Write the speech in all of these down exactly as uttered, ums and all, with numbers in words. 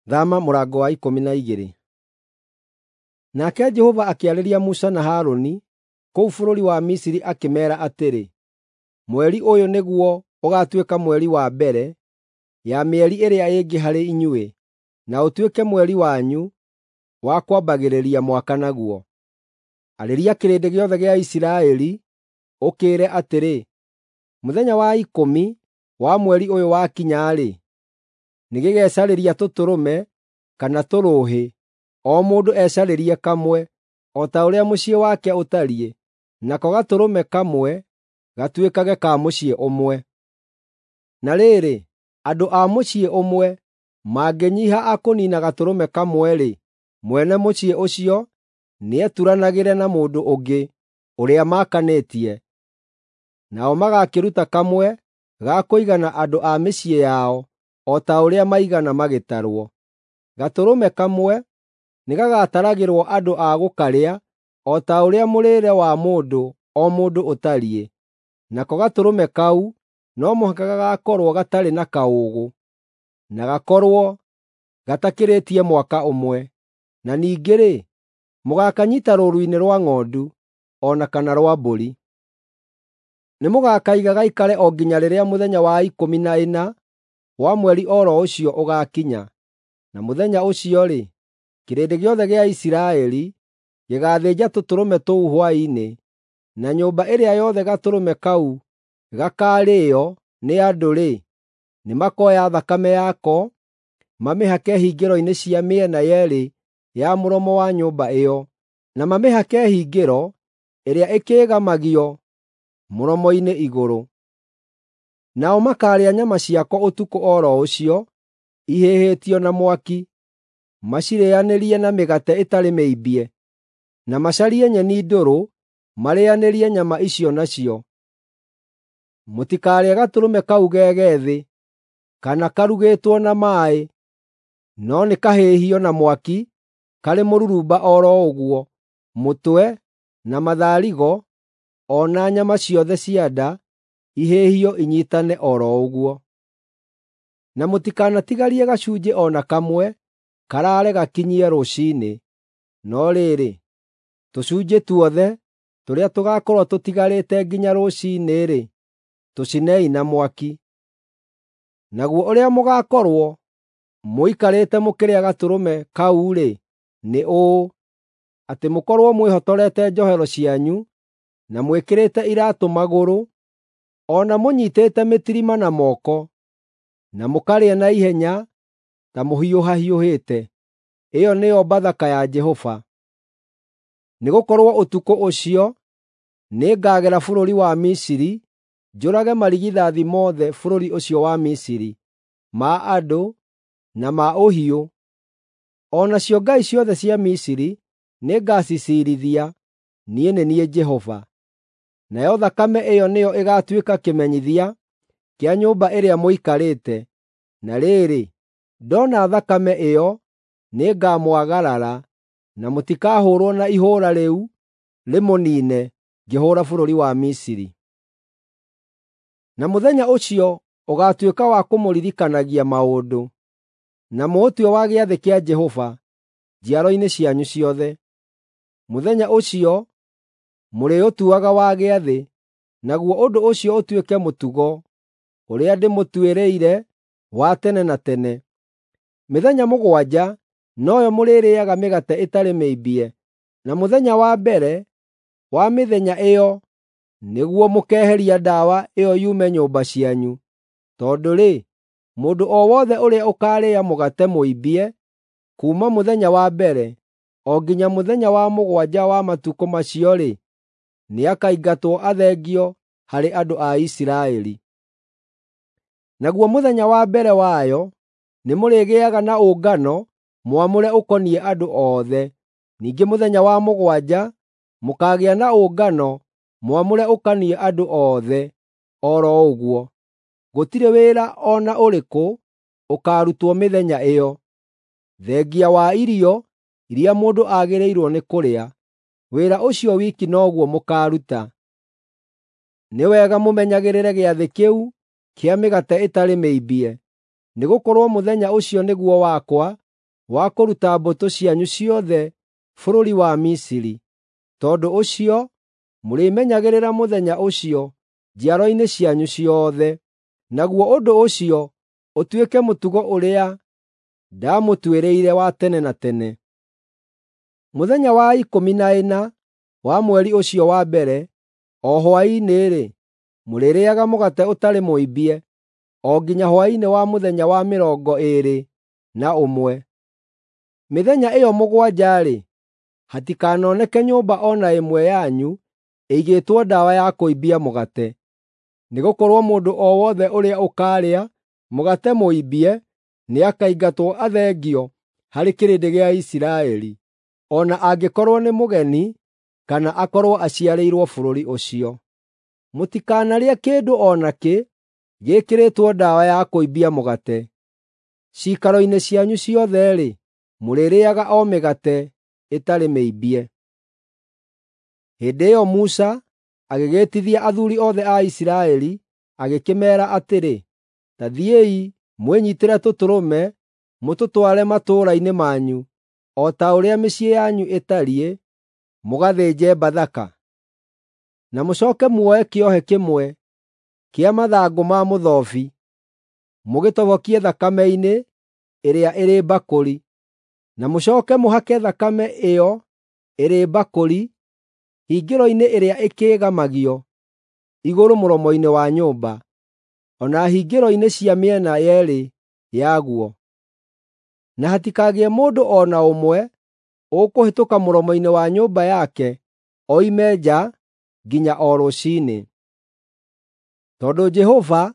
Thama mũrango wa ikũmi na igĩrĩ. Nake Jehova akĩarĩria Musa na Harũni kũu bũrũri wa Misiri akĩmeera atĩrĩ, “Mweri ũyũ nĩguo ũgaatuĩka mweri wa mbere ya mĩeri ĩrĩa ĩngĩ harĩ inyuĩ, na ũtuĩke mweri wanyu wa kwambagĩrĩria mwaka naguo. Arĩria kĩrĩndĩ gĩothe gĩa Isiraeli, ũkĩĩre atĩrĩ, ‘Mũthenya wa ikũmi wa mweri ũyũ wakinya-rĩ, nĩgĩgecarĩria tũtũrũme kana tũrũũhĩ, o mũndũ ecarĩrie kamwe, o ta ũrĩa mũciĩ wake ũtariĩ, nako gatũrũme kamwe gatuĩkage ka mũciĩ ũmwe. Na rĩrĩ, andũ a mũciĩ ũmwe mangĩnyiiha a kũniina gatũrũme kamwe-rĩ, mwene mũciĩ ũcio nĩeturanagĩre na mũndũ ũngĩ ũrĩa maakanĩtie, nao magakĩruta kamwe ga kũigana andũ a mĩciĩ yao o ta ũrĩa maigana magĩtarwo. Gatũrũme kamwe nĩgagataragĩrwo andũ a gũkarĩa o ta ũrĩa mũrĩĩre wa mũndũ o mũndũ ũtariĩ, nako gatũrũme kau no mũhaka gagaakorwo gatarĩ na kaũũgũ, na gakorwo gatakĩrĩtie mwaka ũmwe. Na ningĩ-rĩ, mũgaakanyiita rũũru-inĩ rwa ng'ondu o na kana rwa mbũri. Nĩmũgakaiga gaikare o nginya rĩrĩa mũthenya wa ikũmi na ĩna wa mweri o ro ũcio ũgaakinya, na mũthenya ũcio-rĩ, kĩrĩndĩ gĩothe gĩa Isiraeli gĩgaathĩnja tũtũrũme tũu hwaĩ-inĩ, na nyũmba ĩrĩa yothe gatũrũme kau gakaarĩĩo nĩ andũ-rĩ, nĩmakoya thakame yako mamĩhake hingĩro-inĩ cia mĩena yeerĩ ya mũromo wa nyũmba ĩyo, na mamĩhake hingĩro ĩrĩa ĩkĩĩgamagio mũromo-inĩ igũrũ. Nao makaarĩa nyama ciako ũtukũ o ro ũcio, ihĩhĩtio na mwaki, macirĩanĩrie na mĩgate ĩtarĩ mĩimbie, na macarie nyeni ndũrũ marĩĩanĩrie nyama icio nacio. Mũtikarĩe gatũrũme kau ge gethĩ, kana karugĩtwo na maaĩ, no nĩkahĩhio na mwaki karĩ mũrurumba o ro ũguo, mũtwe, na matharigo, o na nyama ciothe cia nda ihĩhio inyiitane o ro ũguo. Na mũtikanatigarie gacunjĩ o na kamwe karaare gakinyie rũciinĩ, no rĩrĩ, tũcunjĩ tuothe tũrĩa tũgaakorwo tũtigarĩte nginya rũciinĩ-rĩ, tũcinei na mwaki. Naguo ũrĩa mũgaakorwo mũikarĩte mũkĩrĩa gatũrũme kau-rĩ, nĩ ũũ: atĩ mũkorwo mwĩhotorete njohero cianyu, na mwĩkĩrĩte iraatũ magũrũ, o na mũnyiitĩte mĩtirima na moko, na mũkarĩa na ihenya ta mũhiũhahiũhĩte. Ĩyo nĩyo Bathaka ya Jehova. Nĩgũkorwo ũtukũ ũcio nĩngagera bũrũri wa Misiri njũrage marigithathi mothe bũrũri ũcio wa Misiri, ma andũ na ma ũhiũ. O nacio ngai ciothe cia Misiri nĩngaciciirithia. Niĩ nĩ niĩ Jehova. Nayo thakame ĩyo nĩyo ĩgaatuĩka kĩmenyithia kĩa nyũmba ĩrĩa mũikarĩte. Na rĩrĩ, ndoona thakame ĩyo, nĩngamwagarara, na mũtikahũũrwo na ihũũra rĩu rĩmũniine ngĩhũũra bũrũri wa Misiri. Na mũthenya ũcio ũgaatuĩka wa kũmũririkanagia maũndũ, na mũũtue wa gĩathĩ kĩa Jehova njiaro-inĩ cianyu ciothe. Mũthenya ũcio mũrĩũtuaga wa gĩathĩ, naguo ũndũ ũcio ũtuĩke mũtugo ũrĩa ndĩmũtuĩrĩire wa tene na tene. Mĩthenya mũgwanja noyo mũrĩrĩĩaga mĩgate ĩtarĩ mĩimbie, na mũthenya wa mbere wa mĩthenya ĩyo nĩguo mũkeeheria ndawa ĩyo yume nyũmba cianyu. Tondũ-rĩ, mũndũ o wothe ũrĩa ũkaarĩa mũgate mũimbie kuuma mũthenya wa mbere o nginya mũthenya wa mũgwanja wa matukũ macio-rĩ, nĩakaingatwo athengio harĩ andũ a Isiraeli. Naguo mũthenya wa mbere wayo nĩmũrĩgĩaga na ũngano mwamũre ũkoniĩ andũ othe. Ningĩ mũthenya wa mũgwanja mũkaagĩa na ũngano mwamũre ũkoniĩ andũ othe o ro ũguo. Gũtirĩ wĩra o na ũrĩkũ ũkaarutwo mĩthenya ĩyo, thengia wa irio iria mũndũ agĩrĩirwo nĩ kũrĩa. Wĩra ũcio wiki noguo mũkaaruta. Nĩ wega mũmenyagĩrĩre gĩathĩ kĩu kĩa mĩgate ĩtarĩ mĩimbie, nĩgũkorwo mũthenya ũcio nĩguo wakwa wa kũruta mbũtũ cianyu ciothe bũrũri wa Misiri. Tondũ ũcio mũrĩmenyagĩrĩra mũthenya ũcio njiaro-inĩ cianyu ciothe. Naguo ũndũ ũcio ũtuĩke mũtugo ũrĩa ndamũtuĩrĩire wa tene na tene. Mũthenya wa ikũmi na ĩna wa mweri ũcio wa mbere, o hwaĩ-inĩ-rĩ, mũrĩrĩĩaga mũgate ũtarĩ mũimbie o nginya hwaĩ-inĩ wa mũthenya wa mĩrongo ĩĩrĩ na ũmwe. Mĩthenya ĩyo mũgwanja-rĩ, hatikanoneke nyũmba o na ĩmwe yanyu ĩigĩtwo ndawa ya kũimbia mũgate. Nĩgũkorwo mũndũ o wothe ũrĩa ũkaarĩa mũgate mũimbie nĩakaingatwo athengio harĩ kĩrĩndĩ gĩa Isiraeli, o na angĩkorwo nĩ mũgeni kana akorwo aciarĩirwo bũrũri ũcio. Mũtikanarĩe kĩndũ o nakĩ gĩĩkĩrĩtwo ndawa ya kũimbia mũgate. Ciikaro-inĩ cianyu ciothe-rĩ, mũrĩrĩĩaga o mĩgate ĩtarĩ mĩimbie. Hĩndĩ ĩyo Musa agĩgĩĩtithia athuuri othe a Isiraeli, agĩkĩmeera atĩrĩ, “Ta thiĩi mwĩnyiitĩre tũtũrũme mũtũtware matũũra-inĩ manyu, o ta ũrĩa mĩciĩ yanyu ĩtariĩ, mũgathĩnje Bathaka. Na mũcooke muoe kĩohe kĩmwe kĩa mathangũ ma mũthobi, mũgĩtobokie thakame-inĩ ĩrĩa ĩrĩ mbakũri, na mũcooke mũhake thakame ĩyo ĩrĩ mbakũri hingĩro-inĩ ĩrĩa ĩkĩĩgamagio igũrũ mũromo-inĩ wa nyũmba, o na hingĩro-inĩ cia mĩena yeerĩ yaguo. Na hatikagĩe mũndũ o na ũmwe ũkũhĩtũka mũromo-inĩ wa nyũmba yake oime nja nginya o rũciinĩ. Tondũ Jehova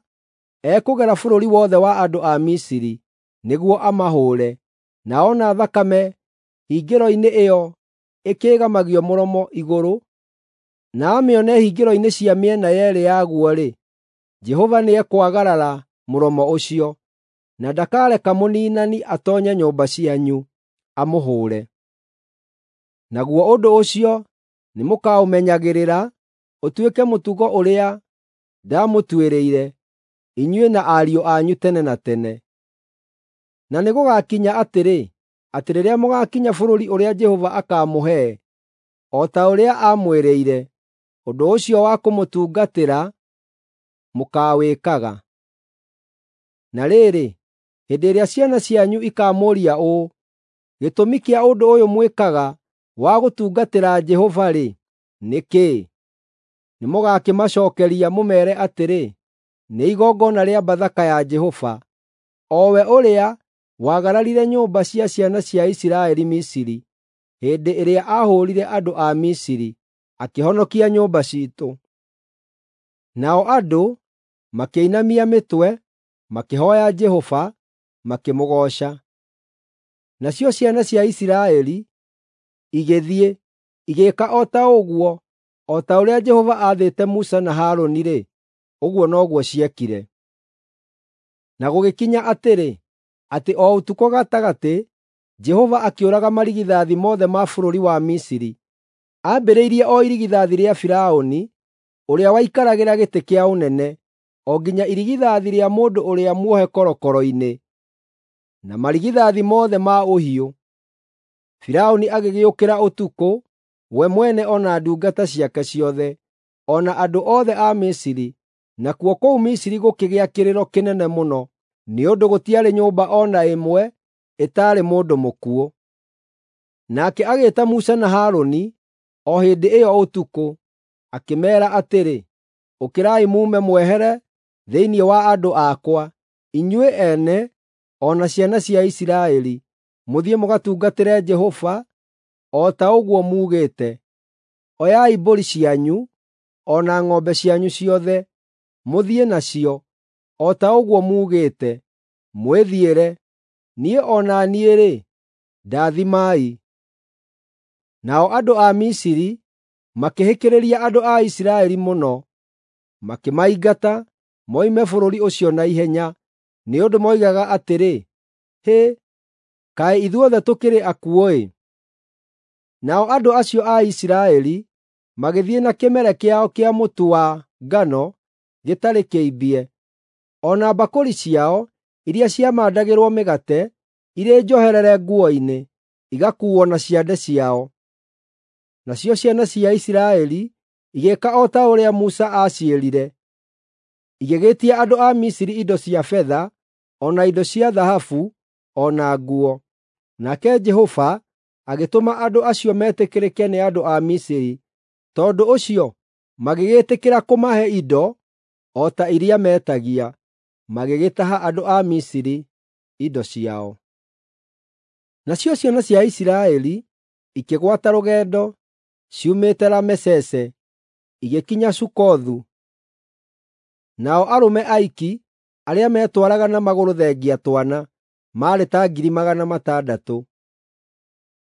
ekũgera bũrũri wothe wa andũ a Misiri nĩguo amahũũre, na ona thakame hingĩro-inĩ ĩyo ĩkĩĩgamagio mũromo igũrũ, na amĩone hingĩro-inĩ cia mĩena yeerĩ yaguo-rĩ, Jehova nĩekwagarara mũromo ũcio, na ndakareka mũniinani atoonye nyũmba cianyu amũhũũre. Naguo ũndũ ũcio nĩmũkaũmenyagĩrĩra ũtuĩke mũtugo ũrĩa ndamũtuĩrĩire, inyuĩ na ariũ anyu tene na tene. Na nĩgũgakinya atĩrĩ, atĩ rĩrĩa mũgaakinya bũrũri ũrĩa Jehova akaamũhe, o ta ũrĩa aamwĩrĩire, ũndũ ũcio wa kũmũtungatĩra mũkaawĩkaga. Na rĩrĩ, hĩndĩ ĩrĩa ciana cianyu ikaamũũria ũũ, “Gĩtũmi kĩa ũndũ ũyũ mwĩkaga wa gũtungatĩra Jehova-rĩ, nĩ kĩĩ?” Nĩmũgakĩmacookeria mũmeere atĩrĩ, “Nĩ igongona rĩa Bathaka ya Jehova, o we ũrĩa waagararire nyũmba cia ciana cia Isiraeli Misiri, hĩndĩ ĩrĩa aahũũrire andũ a Misiri, akĩhonokia nyũmba ciitũ.” Nao andũ makĩinamia mĩtwe, makĩhooya Jehova, makĩmũgooca. Nacio ciana cia Isiraeli igĩthiĩ, igĩĩka o ta ũguo, o ta ũrĩa Jehova aathĩte Musa na Harũni-rĩ, ũguo noguo ciekire. Na gũgĩkinya atĩrĩ, atĩ o ũtukũ gatagatĩ Jehova akĩũraga marigithathi mothe ma bũrũri wa Misiri, ambĩrĩirie o irigithathi rĩa Firaũni, ũrĩa waikaragĩra gĩtĩ kĩa ũnene, o nginya irigithathi rĩa mũndũ ũrĩa muohe korokoro-inĩ, na marigithathi mothe ma ũhiũ. Firaũni agĩgĩũkĩra ũtukũ, we mwene o na ndungata ciake ciothe, o na andũ othe a Misiri, nakuo kũu Misiri gũkĩgĩa kĩrĩro kĩnene mũno, nĩ ũndũ gũtiarĩ nyũmba o na ĩmwe ĩtaarĩ mũndũ mũkuũ. Nake agĩĩta Musa na Harũni o hĩndĩ ĩyo ũtukũ, akĩmeera atĩrĩ, “Ũkĩrai muume mwehere thĩinĩ wa andũ akwa, inyuĩ ene o na ciana cia Isiraeli, mũthiĩ mũgatungatĩre Jehova o ta ũguo muugĩte. Oyai mbũri cianyu o na ng'ombe cianyu ciothe, mũthiĩ nacio, o ta ũguo muugĩte, mwĩthiĩre. Niĩ o na niĩ-rĩ, ndathimai.” Nao andũ a Misiri makĩhĩkĩrĩria andũ a Isiraeli mũno, makĩmaingata moime bũrũri ũcio na ihenya, nĩ ũndũ moigaga atĩrĩ, “Hĩ, kaĩ ithuothe tũkĩrĩ akuũ-ĩ!” Nao andũ acio a Isiraeli magĩthiĩ na kĩmere kĩao kĩa mũtu wa ngano gĩtarĩ kĩimbie, o na mbakũri ciao iria ciamandagĩrwo mĩgate irĩ njoherere nguo-inĩ, igakuuo na ciande ciao. Nacio ciana cia Isiraeli igĩĩka o ta ũrĩa Musa aaciĩrire, igĩgĩĩtia andũ a Misiri indo cia betha, o na indo cia thahabu, o na nguo. Nake Jehova agĩtũma andũ acio metĩkĩrĩke nĩ andũ a Misiri, tondũ ũcio magĩgĩĩtĩkĩra kũmahe indo o ta iria meetagia, magĩgĩtaha andũ a Misiri indo ciao. Nacio ciana cia Isiraeli ikĩgwata rũgendo ciumĩte Ramesese igĩkinya Sukothu. Nao arũme aiki arĩa meetwaraga na magũrũ thengia twana maarĩ ta ngiri magana matandatũ.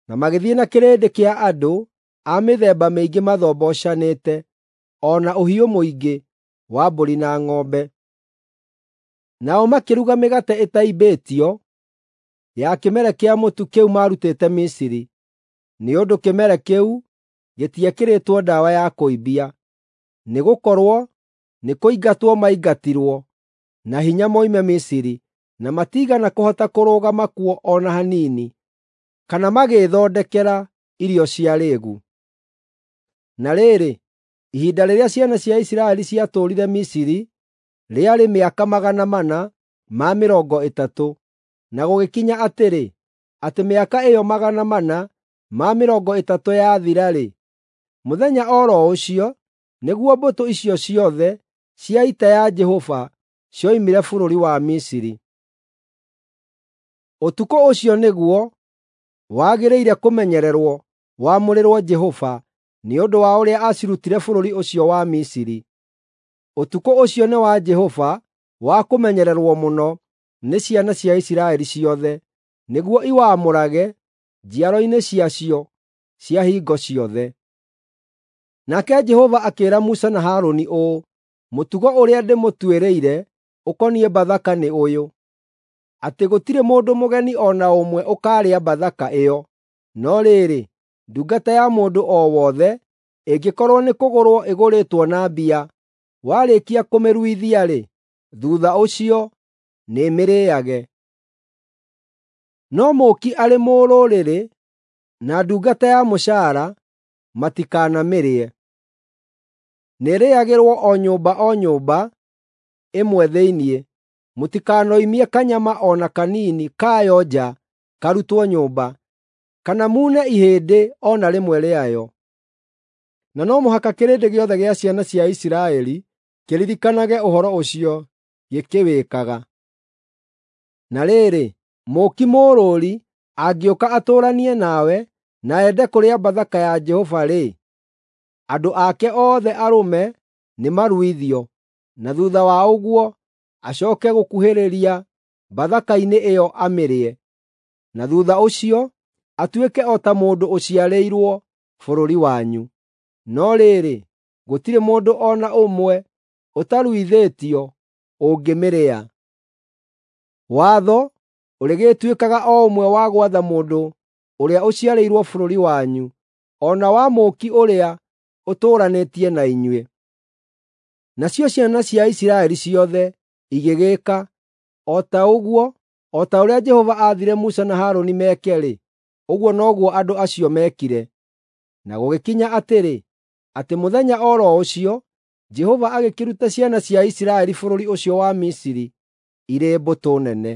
Na magĩthiĩ na kĩrĩndĩ kĩa andũ a mĩthemba mĩingĩ mathombocanĩte, o na ũhiũ mũingĩ wa mbũri na ng'ombe. Nao makĩruga mĩgate ĩtaimbĩtio ya kĩmere kĩa mũtu kĩu maarutĩte Misiri, nĩ ũndũ kĩmere kĩu gĩtiekĩrĩtwo ndawa ya kũimbia, nĩgũkorwo nĩkũingatwo maingatirwo na hinya moime Misiri, na matiigana kũhota kũrũgama kuo o na hanini, kana magĩĩthondekera irio cia rĩĩgu. Na rĩrĩ, ihinda rĩrĩa ciana cia Isiraeli ciatũũrire Misiri rĩarĩ mĩaka magana mana ma mĩrongo ĩtatũ, na gũgĩkinya atĩrĩ, atĩ mĩaka ĩyo magana mana ma mĩrongo ĩtatũ yathira-rĩ, mũthenya o ro ũcio nĩguo mbũtũ icio ciothe cia ita ya Jehova cioimire bũrũri wa Misiri. Ũtukũ ũcio nĩguo wagĩrĩire kũmenyererwo wamũrĩrwo Jehova nĩ ũndũ wa ũrĩa aacirutire bũrũri ũcio wa Misiri. Ũtukũ ũcio nĩ wa Jehova wa kũmenyererwo mũno nĩ ciana cia Isiraeli ciothe, nĩguo iwamũrage njiaro-inĩ ciacio cia hingo ciothe. Nake Jehova akĩĩra Musa na Harũni ũũ, “Mũtugo ũrĩa ndĩmũtuĩrĩire ũkoniĩ Bathaka nĩ ũyũ, atĩ gũtirĩ mũndũ mũgeni o na ũmwe ũkaarĩa Bathaka ĩyo. No rĩrĩ, ndungata ya mũndũ o wothe ĩngĩkorwo nĩkũgũrwo ĩgũrĩtwo na mbia, warĩkia kũmĩruithia-rĩ, thuutha ũcio nĩĩmĩrĩĩage. No mũũki arĩ mũrũrĩrĩ na ndungata ya mũcaara matikanamĩrĩe. Nĩĩrĩĩagĩrwo o nyũmba o nyũmba ĩmwe thĩinĩ; mũtikanoimie kanyama o na kanini kayo nja karutwo nyũmba, kana muune ihĩndĩ o na rĩmwe rĩayo. Na no mũhaka kĩrĩndĩ gĩothe gĩa ciana cia Isiraeli kĩririkanage ũhoro ũcio gĩkĩwĩkaga. Na rĩrĩ, mũũki mũrũũri angĩũka atũũranie nawe na ende kũrĩa Bathaka ya Jehova-rĩ, andũ ake othe arũme nĩmaruithio, na thuutha wa ũguo acooke gũkuhĩrĩria Bathaka-inĩ ĩyo amĩrĩe, na thuutha ũcio atuĩke o ta mũndũ ũciarĩirwo bũrũri wanyu. No rĩrĩ, gũtirĩ mũndũ o na ũmwe ũtaruithĩtio ũngĩmĩrĩa. Watho ũrĩgĩtuĩkaga o ũmwe wa gwatha mũndũ ũrĩa ũciarĩirwo bũrũri wanyu, o na wa mũũki ũrĩa ũtũũranĩtie na inyuĩ. Nacio ciana cia Isiraeli ciothe igĩgĩĩka o ta ũguo, o ta ũrĩa Jehova aathire Musa na Harũni meke-rĩ, ũguo noguo andũ acio meekire. Na gũgĩkinya atĩrĩ, atĩ mũthenya o ro ũcio Jehova agĩkĩruta ciana cia Isiraeli bũrũri ũcio wa Misiri irĩ mbũtũ nene.